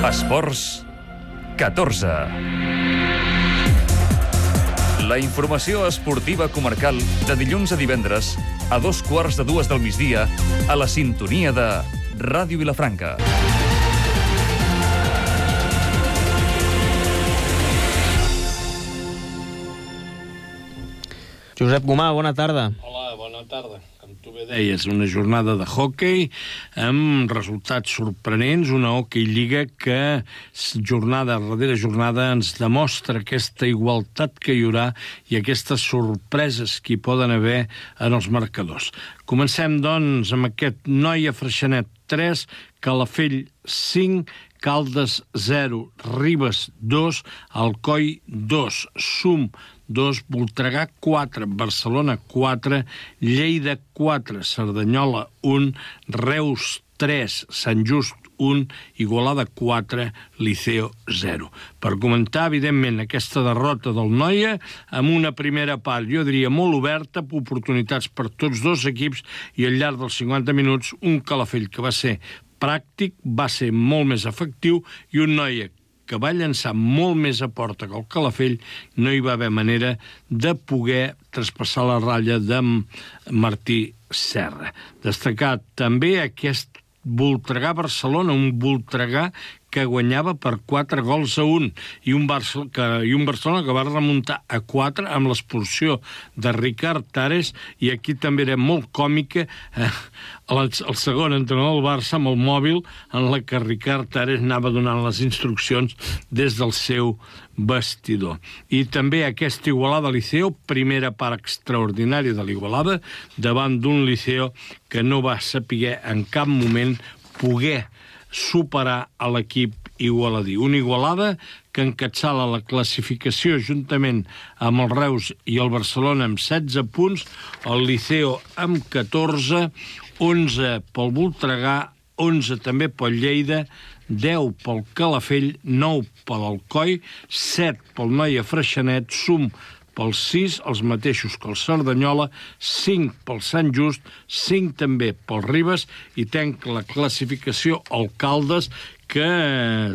Esports 14. La informació esportiva comarcal de dilluns a divendres a 2:15 del migdia a la sintonia de Ràdio Vilafranca. Josep Gomà, bona tarda. Hola, bona tarda. Com tu bé deies, una jornada de hoquei amb resultats sorprenents, una hoquei lliga que jornada darrere jornada ens demostra aquesta igualtat que hi haurà i aquestes sorpreses que hi poden haver en els marcadors. Comencem, doncs, amb aquest Noia Freixenet 3, Calafell 5, Caldes 0, Ribes 2, Alcoi 2, Sum 2, Voltregà 4, Barcelona 4, Lleida 4, Cerdanyola 1, Reus 3, Sant Just 1, Igualada 4, Liceo 0. Per comentar, evidentment, aquesta derrota del Noia amb una primera part, jo diria, molt oberta, oportunitats per tots dos equips i al llarg dels 50 minuts un Calafell que va ser pràctic, va ser molt més efectiu i un Noia que va llançar molt més a porta que el Calafell, no hi va haver manera de poder traspassar la ratlla de Martí Serra. Destacar també aquest Voltregà-Barcelona, un Voltregà que guanyava per 4-1 i un Barcelona que va remuntar a 4 amb l'expulsió de Ricard Tares, i aquí també era molt còmica el segon entrenador del Barça amb el mòbil en la que Ricard Tares anava donant les instruccions des del seu vestidor. I també aquesta Igualada Liceo, primera part extraordinària de l'Igualada, davant d'un Liceo que no va saber en cap moment poder superar a l'equip igualadí. Una Igualada que encapçala la classificació juntament amb el Reus i el Barcelona amb 16 punts, el Liceo amb 14, 11 pel Voltregà, 11 també pel Lleida, 10 pel Calafell, 9 per l'Alcoi, 7 pel Noia Freixenet, Sum pel 6, els mateixos que el Cerdanyola, 5 pel Sant Just, 5 també pel Ribes, i tenc la classificació al Caldes, que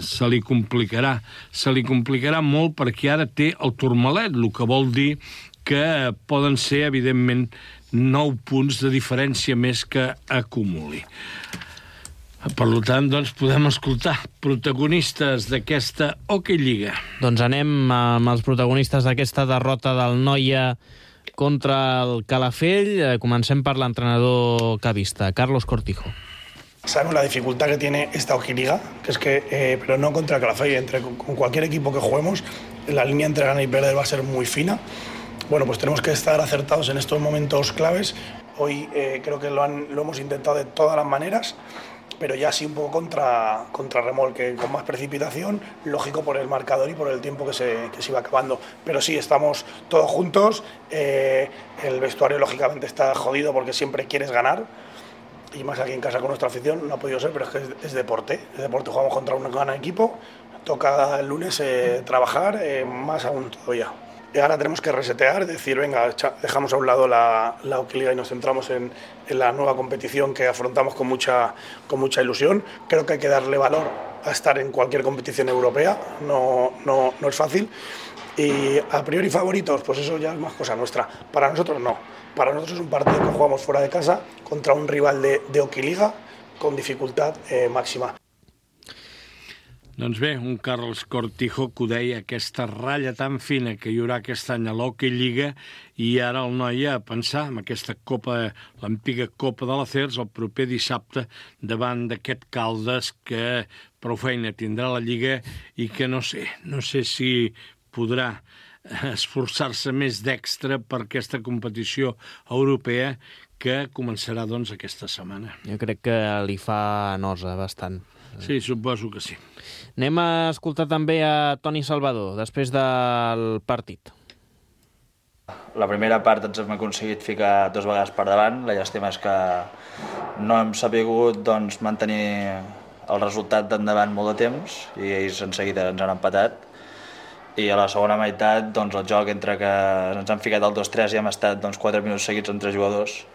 se li complicarà molt perquè ara té el Tourmalet, el que vol dir que poden ser, evidentment, 9 punts de diferència més que acumuli. Per tant, doncs, podem escoltar protagonistes d'aquesta Hockey Lliga. Doncs anem amb els protagonistes d'aquesta derrota del Noia contra el Calafell. Comencem per l'entrenador cavista, Carlos Cortijo. Sabemos la dificultad que tiene esta Hockey Liga, que es que, pero no contra Calafell, con cualquier equipo que juguemos, la línea entre ganar y perder va a ser muy fina. Bueno, pues tenemos que estar acertados en estos momentos claves. Hoy creo que lo hemos intentado de todas las maneras, pero ya sí un poco contra remolque, con más precipitación, lógico por el marcador y por el tiempo que se iba acabando. Pero sí, estamos todos juntos, el vestuario lógicamente está jodido porque siempre quieres ganar, y más aquí en casa con nuestra afición, no ha podido ser, pero es que es deporte, jugamos contra un gran equipo, toca el lunes trabajar, más aún todavía. Y ahora tenemos que resetear, decir, venga, dejamos a un lado la Hockey Liga y nos centramos en la nueva competición que afrontamos con mucha ilusión. Creo que hay que darle valor a estar en cualquier competición europea, no es fácil. Y a priori favoritos, pues eso ya es más cosa nuestra. Para nosotros no. Para nosotros es un partido que jugamos fuera de casa contra un rival de Hockey Liga con dificultad máxima. Doncs bé, un Carles Cortijo que ho deia, aquesta ratlla tan fina que hi haurà aquest any a l'Hockey Lliga, i ara el Noia a pensar en aquesta copa, l'antiga Copa de l'Acers, el proper dissabte davant d'aquest Caldes que prou feina tindrà la Lliga i que no sé si podrà esforçar-se més d'extra per aquesta competició europea que començarà, doncs, aquesta setmana. Jo crec que li fa nosa bastant. Sí, suposo que sí. Anem a escoltar també a Toni Salvador, després del partit. La primera part ens hem aconseguit ficar 2 vegades per davant. La llàstima és que no hem sabut mantenir el resultat d'endavant molt de temps i ells en seguida ens han empatat. I a la segona meitat el joc entre que ens han ficat el 2-3 i hem estat 4 minuts seguits amb 3 jugadors.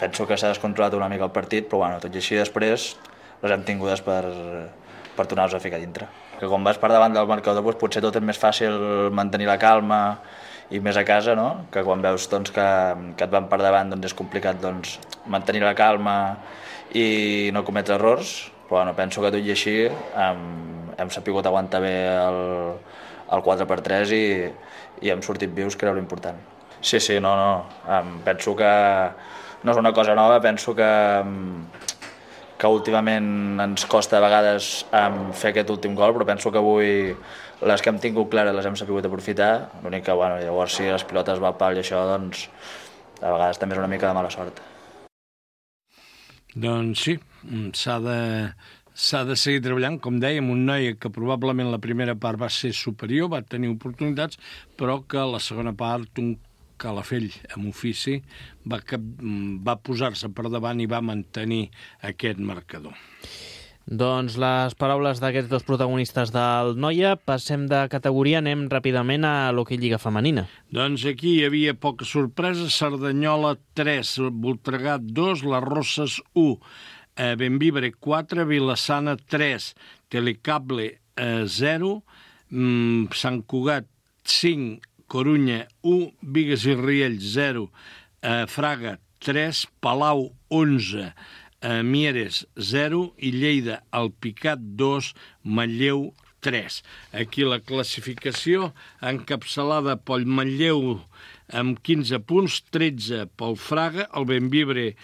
Penso que s'ha descontrolat una mica el partit, però tot i així després les hem tingudes per per tornar-nos a ficar dintre. Que quan vas per davant del marcador doncs, potser tot és més fàcil mantenir la calma i més a casa, no? Que quan veus doncs, que et van per davant doncs, és complicat doncs, mantenir la calma i no cometre errors, però bueno, penso que tot i així hem sapigut aguantar bé el 4x3 i hem sortit vius, que era l'important. Sí, no. Penso que no és una cosa nova, penso que últimament ens costa a vegades fer aquest últim gol, però penso que avui les que hem tingut clares les hem sabut aprofitar. L'únic que, bueno, llavors si les pilotes va al pal i això, doncs a vegades també és una mica de mala sort. Doncs sí, s'ha de seguir treballant, com dèiem, un noi que probablement la primera part va ser superior, va tenir oportunitats, però que la segona part un Calafell amb ofici va posar-se per davant i va mantenir aquest marcador. Doncs les paraules d'aquests dos protagonistes del Noia. Passem de categoria, anem ràpidament a l'hoquei lliga femenina. Doncs aquí hi havia poca sorpresa. Cerdanyola 3, Voltregà 2, Les Rosses 1, Bembibre 4, Vilassana 3, Telecable 0, Sant Cugat 5, Corunya 1, Bigues i Riells 0, Fraga 3, Palau 11, Mieres 0 i Lleida Alpicat 2, Manlleu 3. Aquí la classificació encapçalada pel Manlleu amb 15 punts, 13 pel Fraga, el Bembibre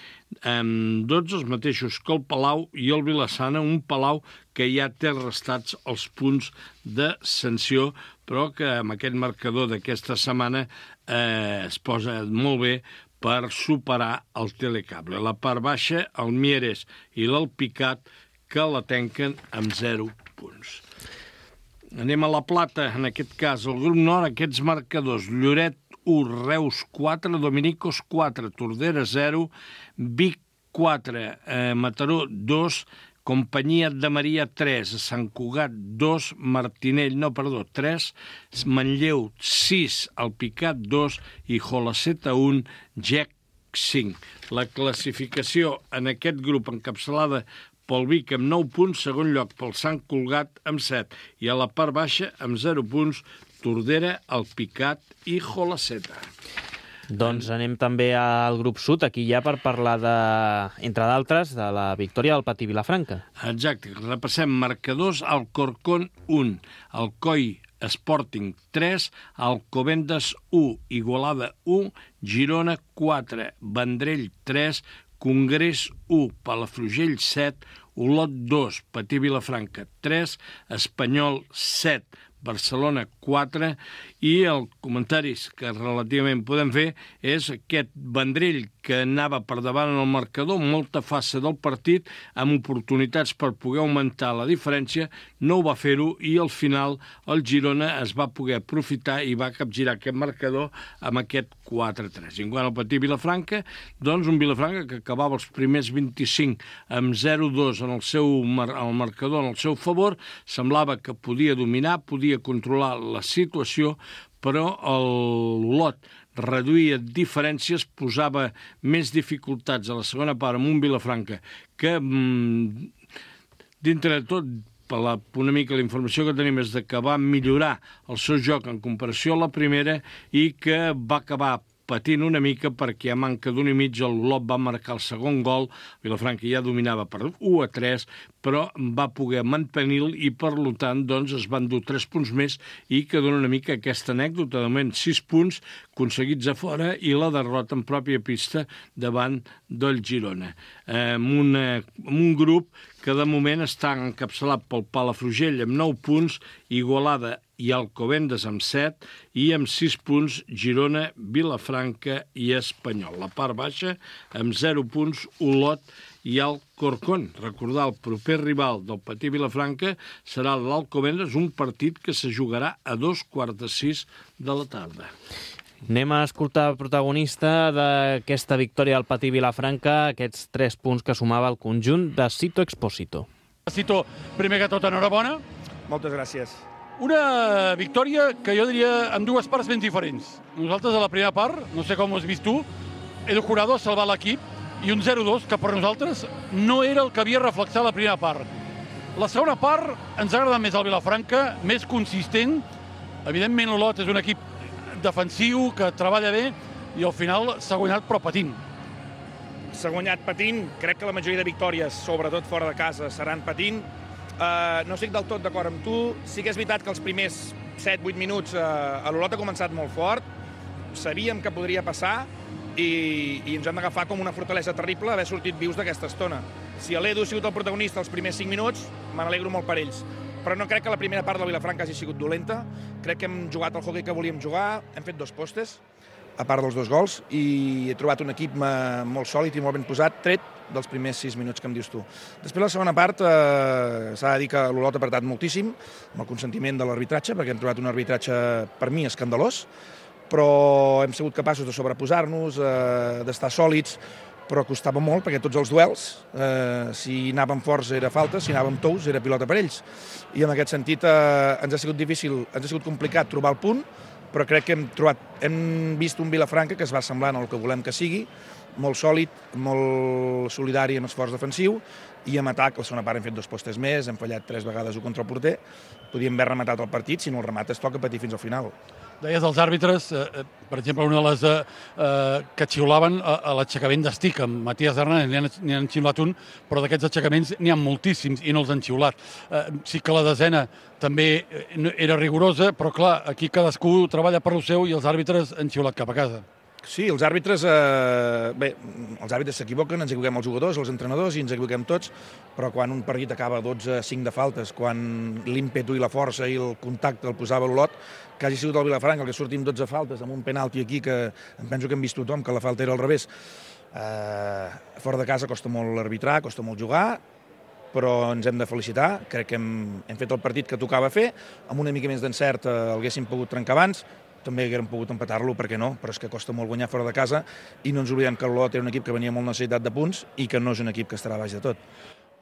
amb 12, els mateixos que el Palau, i el Vilassana, un Palau que ja té restats els punts de sanció, però que amb aquest marcador d'aquesta setmana es posa molt bé per superar el Telecable. La part baixa, el Mieres i l'Alpicat, que la tanquen amb 0 punts. Anem a la plata, en aquest cas, el grup nord, aquests marcadors: Lloret 1, Reus 4, Dominicos 4, Tordera 0, Vic 4, Mataró 2, Companyia de Maria 3, Sant Cugat 2, 3, Manlleu 6, Alpicat 2 i Jolaceta 1, Gec 5. La classificació en aquest grup encapçalada pel Vic amb 9 punts, segon lloc pel Sant Cugat amb 7, i a la part baixa amb 0 punts Tordera, Alpicat i Jolaceta. Doncs anem també al grup sud, aquí ja per parlar, entre d'altres, de la victòria del Patí Vilafranca. Exacte, repassem marcadors: Alcorcón 1, Alcoi Sporting 3, Alcobendas 1, Igualada 1, Girona 4, Vendrell 3, Congrés 1, Palafrugell 7, Olot 2, Patí Vilafranca 3, Espanyol 7, Barcelona 4, i el comentari que relativament podem fer és aquest Vendrell que anava per davant en el marcador, molta fase del partit, amb oportunitats per poder augmentar la diferència, no ho va fer-ho, i al final el Girona es va poder aprofitar i va capgirar aquest marcador amb aquest 4-3. En quant al Patí Vilafranca, doncs un Vilafranca que acabava els primers 25 amb 0-2 en el marcador en el seu favor, semblava que podia dominar, podia controlar la situació, però l'Olot reduïa diferències, posava més dificultats a la segona part amb un Vilafranca que, dintre de tot, una mica la informació que tenim és que va millorar el seu joc en comparació a la primera i que va acabar patint una mica perquè a manca d'un i mig l'Olot va marcar el segon gol. Vilafranca ja dominava per 1-3, però va poder mantenir-lo i, per tant, doncs, es van dur 3 punts més, i que dona una mica aquesta anècdota. De moment, 6 punts aconseguits a fora i la derrota en pròpia pista davant del Girona. Un grup que de moment està encapçalat pel Palafrugell amb 9 punts, Igualada i Alcobendas amb 7, i amb 6 punts Girona, Vilafranca i Espanyol. La part baixa, amb 0 punts, Olot i Alcorcón. Recordar, el proper rival del Patí Vilafranca serà l'Alcobendas, un partit que se jugarà a 5:45 de la tarda. Anem a escoltar el protagonista d'aquesta victòria del Patí Vilafranca, aquests 3 punts que sumava el conjunt de Cito Expósito. Cito, primer que tot, enhorabona. Moltes gràcies. Una victòria que jo diria en dues parts ben diferents. Nosaltres a la primera part, no sé com ho has vist tu, el Jurado ha salvat l'equip, i un 0-2 que per nosaltres no era el que havia reflexat la primera part. La segona part ens ha agradat més el Vilafranca, més consistent. Evidentment, l'Olot és un equip defensiu que treballa bé i al final s'ha guanyat però patint. S'ha guanyat patint. Crec que la majoria de victòries, sobretot fora de casa, seran patint. No estic del tot d'acord amb tu. Sí que és veritat que els primers 7-8 minuts l'Olot ha començat molt fort. Sabíem que podria passar i ens hem d'agafar com una fortalesa terrible haver sortit vius d'aquesta estona. Si l'Edu ha sigut el protagonista els primers 5 minuts, me n'alegro molt per ells. Però no crec que la primera part del Vilafranca hagi sigut dolenta. Crec que hem jugat el hoquei que volíem jugar, hem fet 2 postes, a part dels 2 gols, i he trobat un equip molt sòlid i molt ben posat, tret dels primers 6 minuts que em dius tu. Després, la segona part, s'ha de dir que l'Olot ha apretat moltíssim, amb el consentiment de l'arbitratge, perquè hem trobat un arbitratge, per mi, escandalós, però hem sigut capaços de sobreposar-nos, d'estar sòlids, però costava molt, perquè tots els duels, si anàvem forts era falta, si anàvem tous era pilota per ells. I en aquest sentit ens ha sigut difícil, ens ha sigut complicat trobar el punt, però crec que hem vist un Vilafranca que es va semblant al que volem que sigui, molt sòlid, molt solidari en esforç defensiu, i en atac, la segona part hem fet 2 postes més, hem fallat 3 vegades contra el porter, podíem haver rematat el partit, si no el remates toca patir fins al final. Deies els àrbitres, per exemple, una de les que xiulaven a l'aixecament d'estic, amb Matías Hernández n'hi han xiulat un, però d'aquests aixecaments n'hi ha moltíssims i no els han xiulat. Sí que la desena també era rigorosa, però clar, aquí cadascú treballa per lo seu i els àrbitres han xiulat cap a casa. Sí, els àrbitres, bé, els àrbitres s'equivoquen, ens equivoquem els jugadors, els entrenadors i ens equivoquem tots, però quan un partit acaba 12-5 de faltes, quan l'ímpetu i la força i el contacte el posava l'Olot, que hagi sigut el Vilafranca el que surti amb 12 faltes, amb un penalti aquí que em penso que hem vist tothom, que la falta era al revés. Fora de casa costa molt arbitrar, costa molt jugar, però ens hem de felicitar. Crec que hem fet el partit que tocava fer, amb una mica més d'encert el haguéssim pogut trencar abans, també haguérem pogut empatar-lo, per què no? Però és que costa molt guanyar fora de casa i no ens oblidem que l'Olot era un equip que venia molt necessitat de punts i que no és un equip que estarà baix de tot.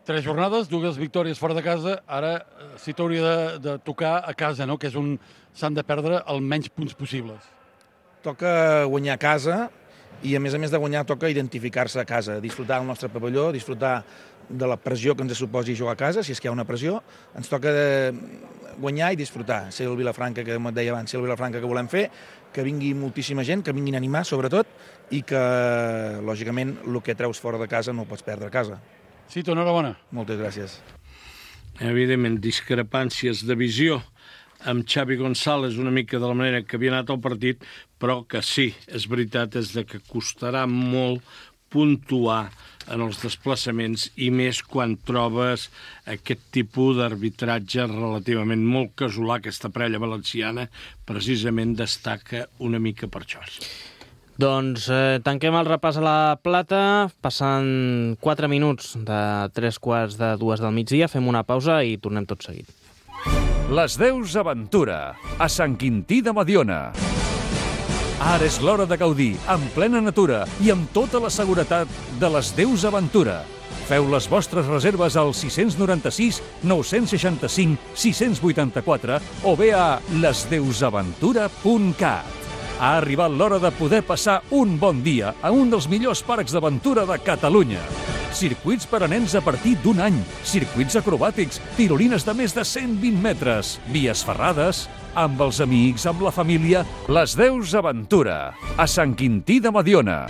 3 jornades, 2 victòries fora de casa, ara sí t'hauria de tocar a casa, no? Que és on s'han de perdre el menys punts possibles. Toca guanyar a casa i a més de guanyar toca identificar-se a casa, disfrutar del nostre pavelló, disfrutar de la pressió que ens suposi jugar a casa, si és que hi ha una pressió, ens toca guanyar i disfrutar, ser el Vilafranca que et deia abans, ser el Vilafranca que volem fer, que vingui moltíssima gent, que vinguin a animar sobretot i que, lògicament, el que treus fora de casa no ho pots perdre a casa. Sí, enhorabona. Moltes gràcies. Evidentment, discrepàncies de visió amb Xavi González una mica de la manera que havia anat el partit, però que sí, és veritat, és que costarà molt puntuar en els desplaçaments i més quan trobes aquest tipus d'arbitratge relativament molt casolà. Aquesta parella valenciana precisament destaca una mica per això. Doncs tanquem el repàs a la plata, passant 4 minuts de 3:45 del migdia, fem una pausa i tornem tot seguit. Les Deus Aventura, a Sant Quintí de Mediona. Ara és l'hora de gaudir, en plena natura i amb tota la seguretat de les Deus Aventura. Feu les vostres reserves al 696 965 684 o bé a lesdeusaventura.cat. Ha arribat l'hora de poder passar un bon dia a un dels millors parcs d'aventura de Catalunya. Circuits per a nens a partir d'1 any, circuits acrobàtics, tirolines de més de 120 metres, vies ferrades, amb els amics, amb la família, les Deus Aventura, a Sant Quintí de Mediona.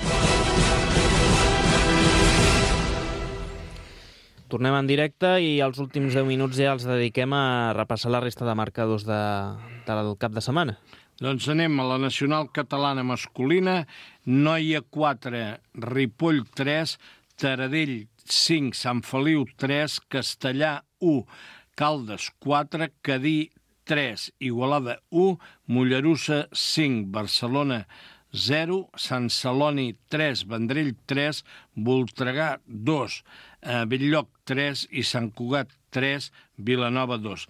Tornem en directe i els últims 10 minuts ja els dediquem a repassar la resta de marcadors del cap de setmana. Doncs anem a la nacional catalana masculina, Noia 4, Ripoll 3, Taradell 5, Sant Feliu 3, Castellà 1, Caldes 4, Cadí 3, Igualada 1, Mollerussa 5, Barcelona 0, Sant Celoni 3, Vendrell 3, Voltregà 2, Bell-lloc 3 i Sant Cugat 3, Vilanova 2.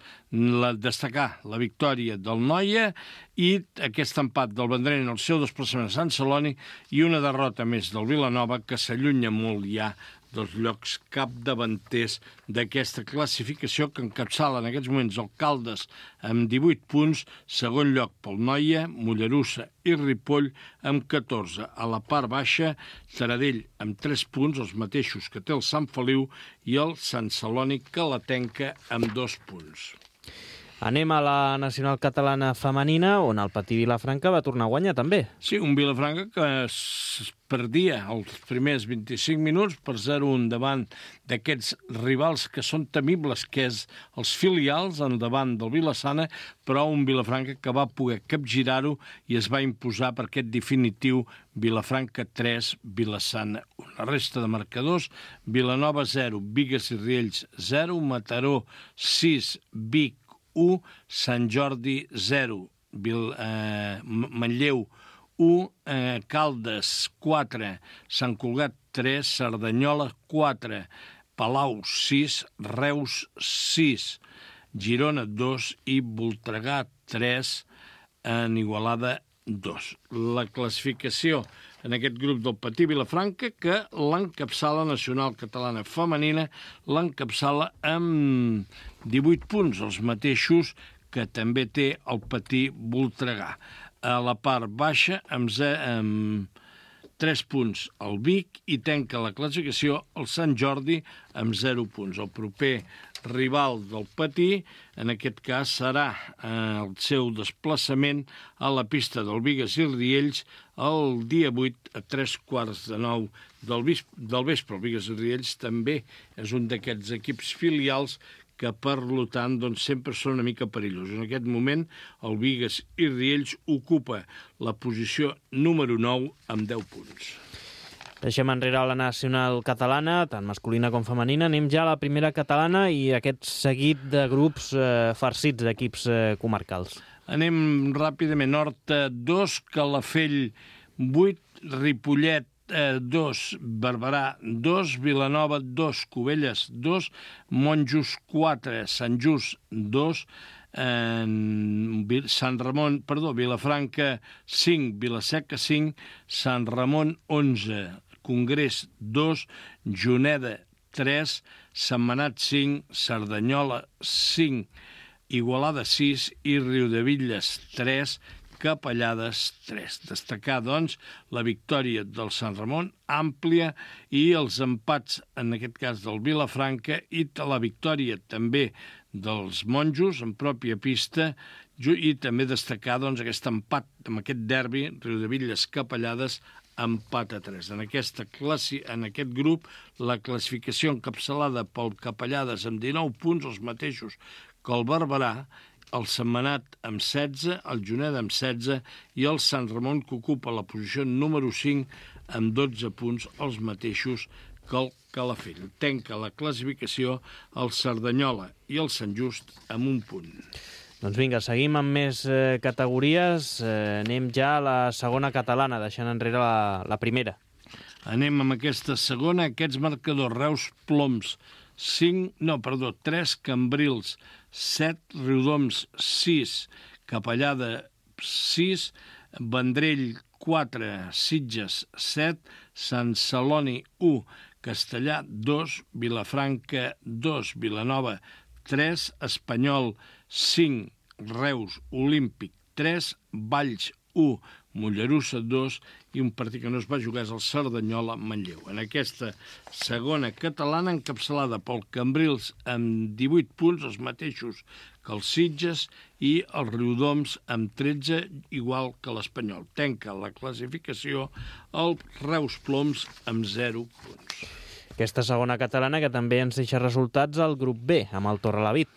Destacar la victòria del Noia i aquest empat del Vendrell en el seu desplaçament a Sant Celoni i una derrota més del Vilanova que s'allunya molt ja dels llocs capdavanters d'aquesta classificació, que encapçala en aquests moments el Caldes amb 18 punts, segon lloc pel Noia, Mollerussa i Ripoll amb 14. A la part baixa, Taradell amb 3 punts, els mateixos que té el Sant Feliu, i el Sant Celoni Calatenca amb 2 punts. Anem a la nacional catalana femenina, on el Patí Vilafranca va tornar a guanyar també. Sí, un Vilafranca que es perdia els primers 25 minuts per 0-1 davant d'aquests rivals que són temibles, que és els filials en davant del Vilassana, però un Vilafranca que va poder capgirar-ho i es va imposar per aquest definitiu Vilafranca 3, Vilassana 1. La resta de marcadors: Vilanova 0, Bigues i Riells 0, Mataró 6, Vic 1, Sant Jordi 0, Manlleu 1, Caldes 4, Sant Cugat 3, Cerdanyola 4, Palau 6, Reus 6, Girona 2 i Voltregà 3, en Igualada 2. La classificació en aquest grup del Patí Vilafranca, que l'encapçala nacional catalana femenina, l'encapçala amb 18 punts, els mateixos que també té el Patí Voltregà. A la part baixa, amb 3 punts el Vic, i tanca la classificació el Sant Jordi amb 0 punts. El proper rival del Patí, en aquest cas, serà el seu desplaçament a la pista del Bigues i Riells el dia 8 a 3:15 del vespre. El Bigues i Riells també és un d'aquests equips filials que, per tant, doncs, sempre són una mica perillosos. En aquest moment, el Bigues i Riells ocupa la posició número 9 amb 10 punts. Deixem enrere la nacional catalana, tant masculina com femenina. Anem ja a la primera catalana i aquest seguit de grups farcits d'equips comarcals. Anem ràpidament. Horta 2, Calafell 8, Ripollet 2, Barberà 2, Vilanova 2, Cubelles 2, Monjos 4, Sant Just 2, Vilafranca 5, Vilaseca 5, Sant Ramon 11, Congrés 2, Juneda 3, Sentmenat 5, Cerdanyola 5, Igualada 6 i Riudebitlles 3, Capellades 3. Destacar, doncs, la victòria del Sant Ramon, àmplia, i els empats, en aquest cas del Vilafranca, i la victòria també dels Monjos en pròpia pista, i també destacar, doncs, aquest empat amb aquest derbi, Riudebitlles-Capellades, empat a 3. En aquest grup, la classificació encapçalada pel Capellades amb 19 punts, els mateixos que el Barberà, el Sentmenat amb 16, el Juneda amb 16 i el Sant Ramon, que ocupa la posició número 5 amb 12 punts, els mateixos que el Calafell. Tanca la classificació el Cerdanyola i el Sant Just amb 1 punt. Doncs vinga, seguim amb més categories. Anem ja a la segona catalana, deixant enrere la primera. Anem amb aquesta segona. Aquests marcadors: Reus Ploms 3, Cambrils 7, Riudoms 6, Capellada 6, Vendrell 4, Sitges 7, Sant Celoni 1, Castellà 2, Vilafranca 2, Vilanova 3, Espanyol 5, Reus Olímpic 3, Valls 1, Mollerussa 2 i un partit que no es va jugar és el Cerdanyola-Manlleu. En aquesta segona catalana, encapçalada pel Cambrils amb 18 punts, els mateixos que els Sitges, i els Riudoms amb 13, igual que l'Espanyol. Tanca la classificació el Reus Ploms amb 0 punts. Aquesta segona catalana que també ens deixa resultats al grup B, amb el Torrelavit.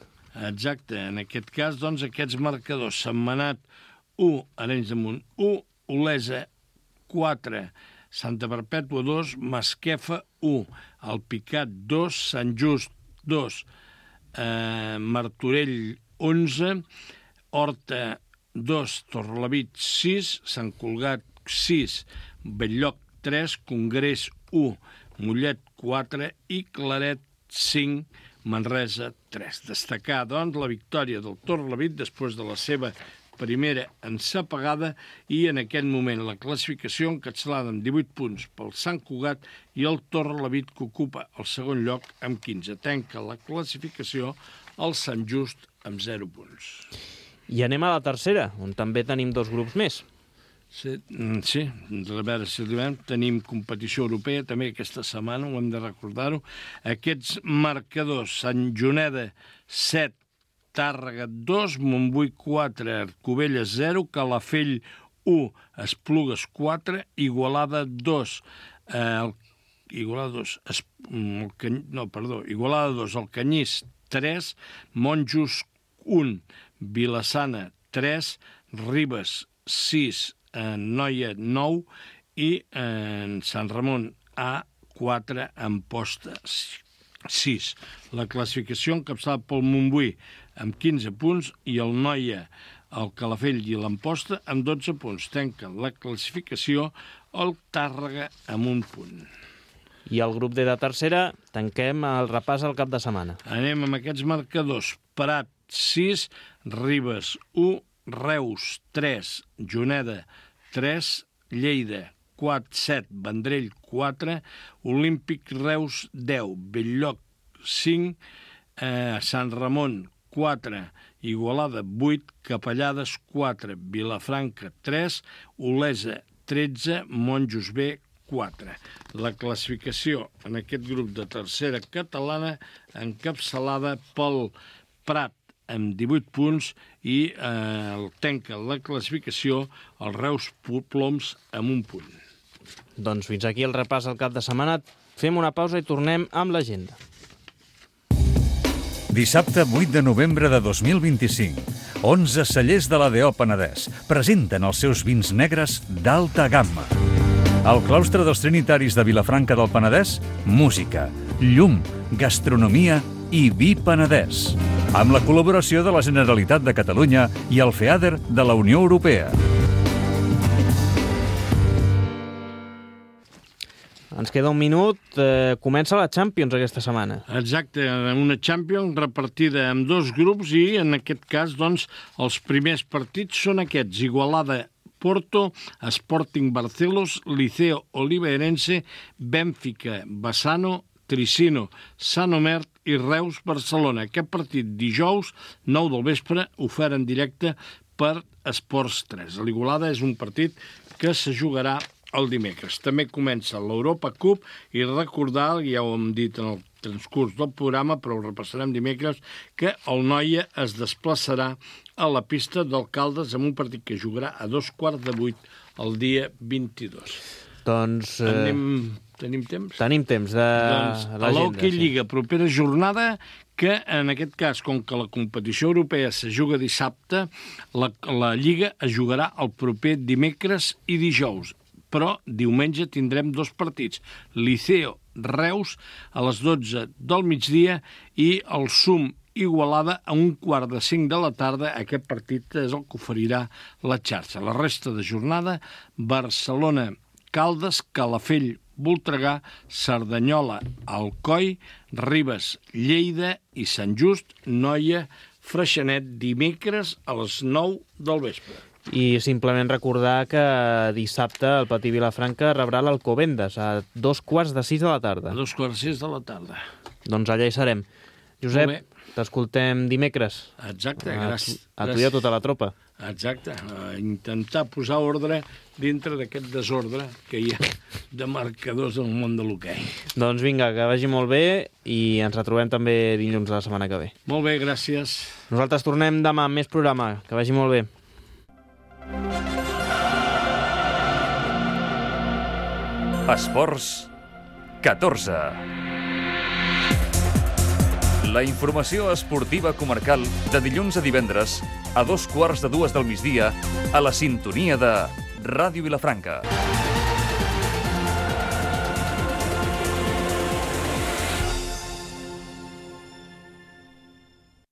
Exacte, en aquest cas, doncs, aquests marcadors: Sentmenat 1, Arenys de Munt 1, Olesa 4, Santa Perpètua 2, Masquefa 1, Alpicat 2, Sant Just 2, Martorell 11, Horta 2, Torrelavit 6, Sant Cugat 6, Bell-lloc 3, Congrés 1, Mollet 4 i Claret 5, Manresa 3. Destacar, doncs, la victòria del Torrelavit després de la seva primera ensapegada i en aquest moment la classificació encapçalada amb 18 punts pel Sant Cugat i el Torrelavit, que ocupa el segon lloc amb 15. Tanca la classificació el Sant Just amb 0 punts. I anem a la tercera, on també tenim 2 grups més. Sí, a veure si arribem. Tenim competició europea també aquesta setmana, ho hem de recordar-ho. Aquests marcadors: Sant Joneda 7, Tàrrega 2, Montbui 4, Cubelles 0, Calafell 1, Esplugues 4, Igualada 2, Igualada 2, el Canyís 3, Monjos 1, Vilassana 3, Ribes 6, Noia 9 i Sant Ramon A4, Amposta 6. La classificació encapçalada pel Montbui amb 15 punts i el Noia, el Calafell i l'Amposta amb 12 punts. Tanca la classificació el Tàrrega amb 1 punt. I el grup D de tercera, tanquem el repàs al cap de setmana. Anem amb aquests marcadors. Prat 6, Ribes 1, Reus 3, Juneda 3, Lleida 4, 7, Vendrell 4, Olímpic Reus 10, Bell-lloc 5, Sant Ramon 4, Igualada 8, Capellades 4, Vilafranca 3, Olesa 13, Monjos B 4. La classificació en aquest grup de tercera catalana encapçalada pel Prat amb 18 punts i tanca la classificació el Reus Ploms amb 1 punt. Doncs fins aquí el repàs al cap de setmana. Fem una pausa i tornem amb l'agenda. Dissabte 8 de novembre de 2025, 11 cellers de l'ADO Penedès presenten els seus vins negres d'alta gamma. Al claustre dels Trinitaris de Vilafranca del Penedès, música, llum, gastronomia i vi penedès, amb la col·laboració de la Generalitat de Catalunya i el FEADER de la Unió Europea. Ens queda un minut. Comença la Champions aquesta setmana. Exacte, una Champions repartida en 2 grups i, en aquest cas, doncs, els primers partits són aquests: Igualada Porto, Sporting Barcelos, Liceo Oliveirense, Benfica Bassano, Tricino Sant Omer i Reus Barcelona. Aquest partit dijous, 9 del vespre, ofert en directe per Esports 3. L'Igualada és un partit que se jugarà el dimecres. També comença l'Europa Cup i recordar, ja ho hem dit en el transcurs del programa, però ho repassarem dimecres, que el Noia es desplaçarà a la pista d'Alcaldes amb un partit que jugarà a 7:15 el dia 22. Doncs... Tenim temps? Tenim temps de l'agenda. A l'Hockey Lliga, propera jornada, que en aquest cas, com que la competició europea se juga dissabte, la Lliga es jugarà el proper dimecres i dijous. Però diumenge tindrem 2 partits. Liceo Reus a les 12 del migdia i el SUM Igualada a 4:45 de la tarda. Aquest partit és el que oferirà la xarxa. La resta de jornada: Barcelona, Caldes, Calafell, Voltregà, Cerdanyola, Alcoi, Ribes, Lleida i Sant Just, Noia, Freixenet, dimecres a les 9 del vespre. I simplement recordar que dissabte el Patí Vilafranca rebrà l'Alcobendas a 5:15 de la tarda. A 5:15 de la tarda. Doncs allà hi serem. Josep, t'escoltem dimecres. Exacte, gràcies. A tu i a tota la tropa. Exacte, intentar posar ordre dintre d'aquest desordre que hi ha de marcadors en el món de l'hoquei. Doncs vinga, que vagi molt bé i ens retrobem també dilluns de la setmana que ve. Molt bé, gràcies. Nosaltres tornem demà amb més programa. Que vagi molt bé. Esports 14. La informació esportiva comarcal de dilluns a divendres a 2:15 del migdia a la sintonia de Ràdio Vilafranca.